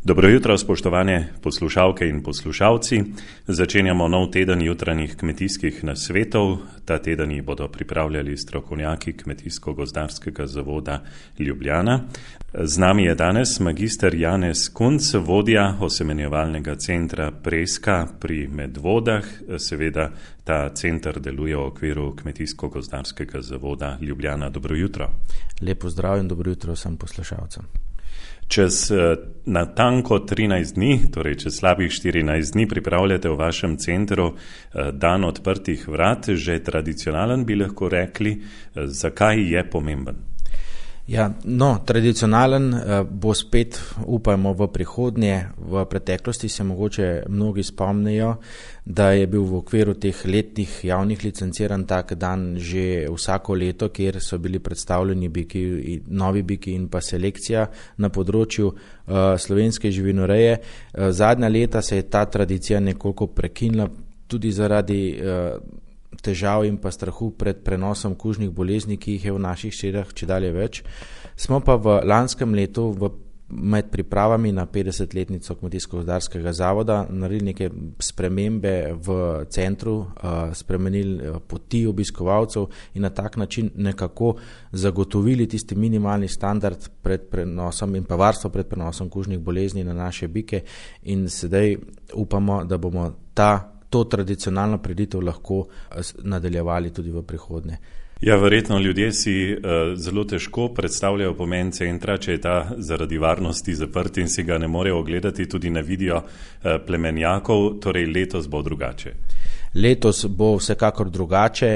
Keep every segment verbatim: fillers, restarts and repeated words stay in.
Dobro jutro, spoštovane poslušalke in poslušalci. Začenjamo nov teden jutranjih kmetijskih nasvetov. Ta teden jih bodo pripravljali strokovnjaki Kmetijsko-gozdarskega zavoda Ljubljana. Z nami je danes magister Janez Kunc, vodja osemenjevalnega centra Preska pri Medvodah. Seveda ta center deluje v okviru Kmetijsko-gozdarskega zavoda Ljubljana. Dobro jutro. Lepo zdrav in dobro jutro vsem poslušalcem. Čez natanko trinajst dni, torej čez slabih štirinajst dni, pripravljate v vašem centru dan odprtih vrat, že tradicionalen bi lahko rekli. Zakaj je pomemben? Ja, no, tradicionalen bo spet, upajmo, v prihodnje. V preteklosti se mogoče mnogi spomnijo, da je bil v okviru teh letnih javnih licenciran tak dan že vsako leto, kjer so bili predstavljeni biki, novi biki in pa selekcija na področju uh, slovenske živinoreje. Uh, zadnja leta se je ta tradicija nekoliko prekinila tudi zaradi uh, težav in pa strahu pred prenosom kužnih bolezni, ki jih je v naših širah čedalje več. Smo pa v lanskem letu v, med pripravami na petdesetletnico Kmetijsko-gozdarskega zavoda naredili neke spremembe v centru, uh, spremenili poti obiskovalcev in na tak način nekako zagotovili tisti minimalni standard pred prenosom in pa varstvo pred prenosom kužnih bolezni na naše bike in sedaj upamo, da bomo ta to tradicionalno prireditev lahko nadaljevali tudi v prihodnje. Ja, verjetno ljudje si uh, zelo težko predstavljajo pomen centra, če je ta zaradi varnosti zaprt in si ga ne morejo ogledati, tudi ne vidijo uh, plemenjakov, torej letos bo drugače. Letos bo vsekakor drugače,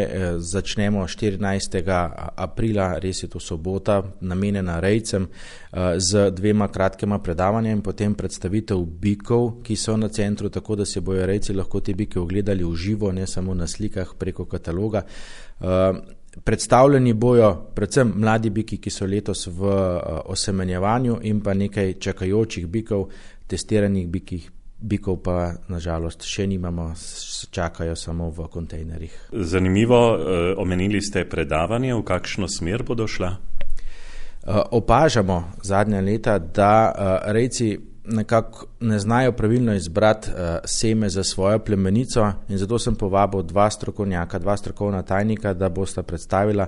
začnemo štirinajstega aprila, res je to sobota, namenjena rejcem, z dvema kratkima predavanjem, potem predstavitev bikov, ki so na centru, tako da se bojo rejci lahko te bike ogledali v živo, ne samo na slikah preko kataloga. Predstavljeni bojo predvsem mladi biki, ki so letos v osemenjevanju in pa nekaj čakajočih bikov, testiranih bikih. Bikov pa nažalost še nimamo, čakajo samo v kontejnerjih. Zanimivo, omenili ste predavanje, v kakšno smer bodo šla? Opažamo zadnja leta, da rejci nekako ne znajo pravilno izbrati seme za svojo plemenico in zato sem povabil dva strokovnjaka, dva strokovna tajnika, da bosta predstavila,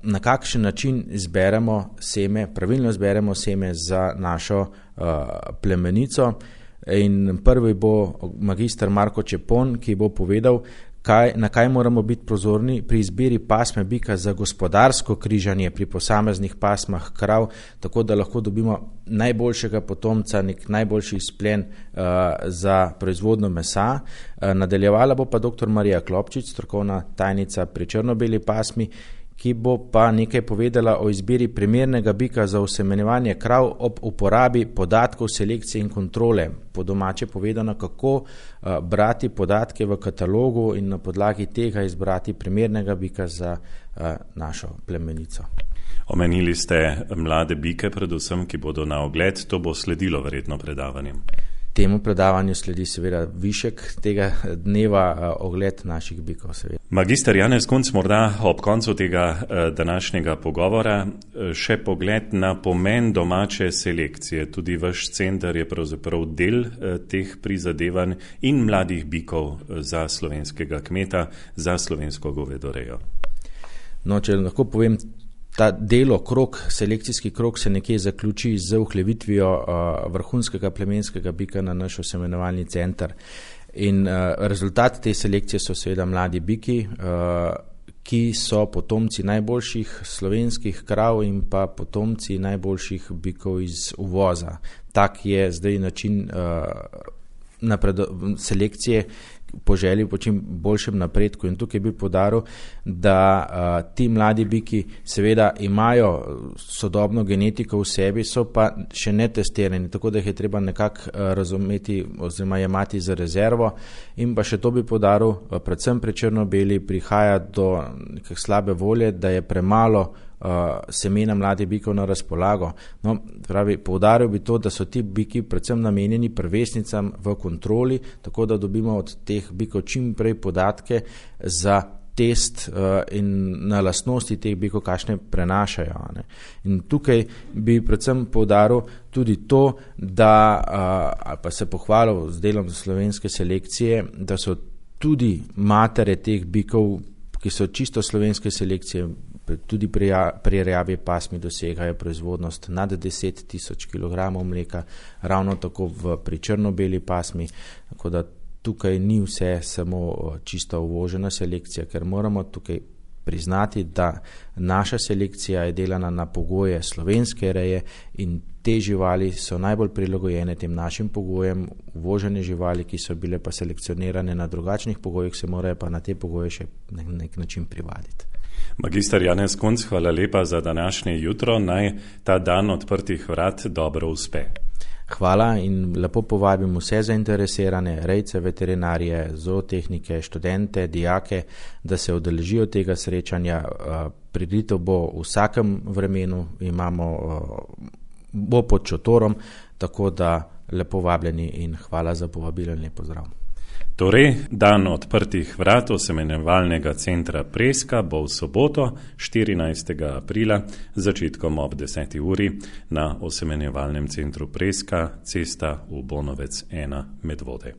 na kakšen način izberemo seme, pravilno izberemo seme za našo plemenico. In prvi bo magister Marko Čepon, ki bo povedal, kaj, na kaj moramo biti pozorni pri izbiri pasme bika za gospodarsko križanje pri posameznih pasmah krav, tako da lahko dobimo najboljšega potomca, nek najboljši izplen uh, za proizvodno mesa. Uh, nadaljevala bo pa doktor Marija Klopčič, strokovna tajnica pri črno-beli pasmi, ki bo pa nekaj povedala o izbiri primernega bika za osemenjevanje krav ob uporabi podatkov selekcije in kontrole. Po domače povedano, kako uh, brati podatke v katalogu in na podlagi tega izbrati primernega bika za uh, našo plemenico. Omenili ste mlade bike, predvsem, ki bodo na ogled, to bo sledilo verjetno predavanjem. Temu predavanju sledi seveda višek tega dneva, ogled naših bikov. Seveda. Magister Janez Kunc, morda ob koncu tega današnjega pogovora še pogled na pomen domače selekcije. Tudi vaš center je pravzaprav del teh prizadevanj in mladih bikov za slovenskega kmeta, za slovensko govedorejo. No, če lahko povem, ta delo, krok, selekcijski krok se nekje zaključi z uhlevitvijo uh, vrhunskega plemenskega bika na naš osemenjevalni center. In uh, rezultat te selekcije so seveda mladi biki, uh, ki so potomci najboljših slovenskih krav in pa potomci najboljših bikov iz uvoza. Tak je zdaj način uh, napredo- selekcije, po želji po čim boljšem napredku in tukaj bi podaril, da uh, ti mladi biki seveda imajo sodobno genetiko v sebi, so pa še ne testirani, tako da jih je treba nekako uh, razumeti oziroma jemati za rezervo in pa še to bi podaril, uh, predvsem pri črno-beli prihaja do nekak slabe volje, da je premalo uh, semena mladih bikov na razpolago. No, pravi, poudaril bi to, da so ti biki predvsem namenjeni prvesnicam v kontroli, tako da dobimo od teh bikov čim prej podatke za test uh, in na lastnosti teh bikov, kakšne prenašajo. Ne. In tukaj bi predvsem poudaril tudi to, da uh, ali pa se pohvalil z delom slovenske selekcije, da so tudi matere teh bikov, ki so čisto slovenske selekcije, tudi pri, pri rjavi pasmi dosegajo proizvodnost nad deset tisoč kilogramov mleka, ravno tako v, pri črno-beli pasmi, tako da tukaj ni vse samo čisto uvožena selekcija, ker moramo tukaj priznati, da naša selekcija je delana na pogoje slovenske reje in te živali so najbolj prilagojene tem našim pogojem. Uvožene živali, ki so bile pa selekcionirane na drugačnih pogojih, se morajo pa na te pogoje še na nek način privaditi. Magister Janez Kunc, hvala lepa za današnje jutro. Naj ta dan odprtih vrat dobro uspe. Hvala in lepo povabim vse zainteresirane, rejce, veterinarije, zootehnike, študente, dijake, da se udeležijo tega srečanja. Prireditev bo v vsakem vremenu, imamo, bo pod šotorom, tako da lepo vabljeni in hvala za povabilo in lep pozdrav. Torej, dan odprtih vrat osemenjevalnega centra Preska bo v soboto, štirinajstega aprila, začetkom ob deseti uri na osemenjevalnem centru Preska, cesta v Bonovec ena Medvode.